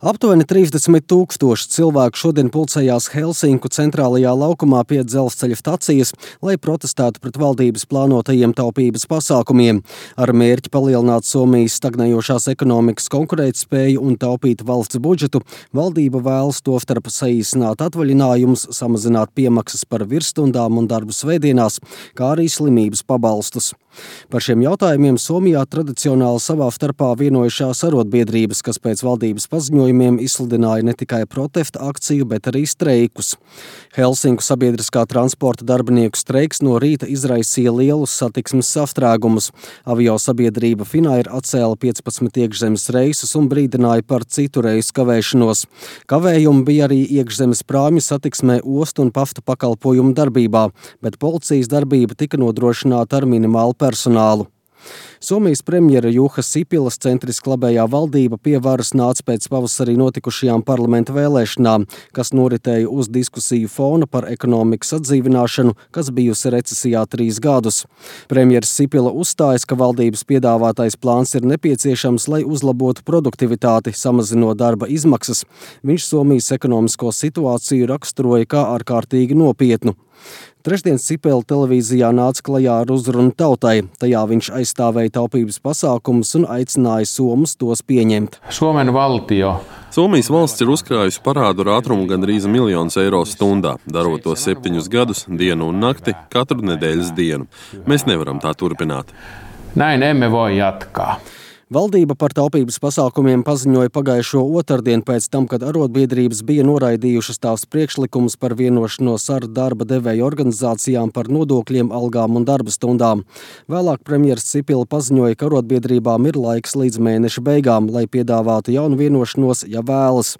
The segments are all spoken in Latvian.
Aptuveni 30,000 cilvēku šodien pulcējās Helsinku centrālajā laukumā pie dzelzceļa stacijas, lai protestētu pret valdības plānotajiem taupības pasākumiem. Ar mērķi palielināt Somijas stagnējošās ekonomikas konkurētspēju un taupīt valsts budžetu, valdība vēlas tostarp saīsināt atvaļinājumus, samazināt piemaksas par virsstundām un darbu svētdienās, kā arī slimības pabalstus. Par šiem jautājumiem Somijā tradicionāli savā starpā vienojušās arotbiedrības, kas pēc valdības paziņojumiem izsludināja ne tikai protesta akciju, bet arī streikus. Helsinku sabiedriskā transporta darbinieku streiks no rīta izraisīja lielus satiksmes sastrēgumus. Avio sabiedrība Finnair atcēla 15 iekšzemes reisus un brīdināja par citu reisu kavēšanos. Kavējumi bija arī iekšzemes prāmju satiksmē, ostu un pasta pakalpojumu darbībā, bet policijas darbība tika nodrošināta ar minimālu personālu. Somijas premjera Juha Sipilas centriski labējā valdība pie varas nāca pēc pavasarī notikušajām parlamenta vēlēšanām, kas noritēja uz diskusiju fona par ekonomikas atdzīvināšanu, kas bijusi recesijā 3 gadus. Premjeras Sipila uzstājas, ka valdības piedāvātais plāns ir nepieciešams, lai uzlabotu produktivitāti, samazinot darba izmaksas. Viņš Somijas ekonomisko situāciju raksturoja kā ārkārtīgi nopietnu. Trešdien Sipila televīzijā nāca klajā ar uzrunu tautai. Tajā viņš aizstāvēja taupības pasākumus un aicināja somus tos pieņemt. Somijas valsts ir uzkrājusi parādu ar ātrumu gandrīz 1 miljonu eiro stundā, darot to 7 gadus, dienu un nakti, katru nedēļas dienu. Mēs nevaram tā turpināt. Näin emme voi jatkaa. Valdība par taupības pasākumiem paziņoja pagājušo otrdienu pēc tam, kad arotbiedrības bija noraidījušas tās priekšlikumus par vienošanos ar darba devēju organizācijām par nodokļiem, algām un darba stundām. Vēlāk premjeras Sipila paziņoja, ka arotbiedrībām ir laiks līdz mēneša beigām, lai piedāvātu jaunu vienošanos, ja vēlas.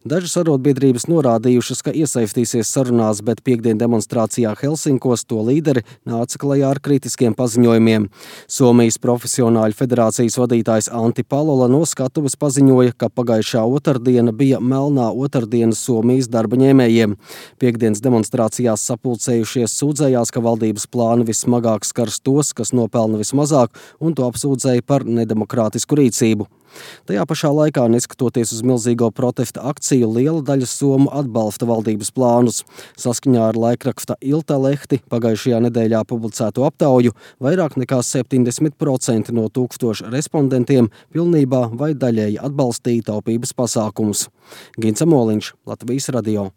Dažas arotbiedrības norādījušas, ka iesaistīsies sarunās, bet piektdien demonstrācijā Helsinkos to līderi nāca klajā ar kritiskiem paziņojumiem. Somijas profesionāļu federācijas vadītājs Antti Palola no skatuves paziņoja, ka pagājušā otrdiena bija melnā otrdiena Somijas darba ņēmējiem. Piektdienas demonstrācijās sapulcējušies sūdzējās, ka valdības plāni vissmagāk skars tos, kas nopelna vismazāk, un to apsūdzēja par nedemokrātisku rīcību. Tajā pašā laikā, neskatoties uz milzīgo protesta akciju, liela daļa somu atbalsta valdības plānus. Saskaņā ar laikraksta Iltalehti pagājušajā nedēļā publicēto aptauju vairāk nekā 70% no 1000 respondentiem pilnībā vai daļēji atbalstīja taupības pasākumus. Gints Amoliņš, Latvijas radio.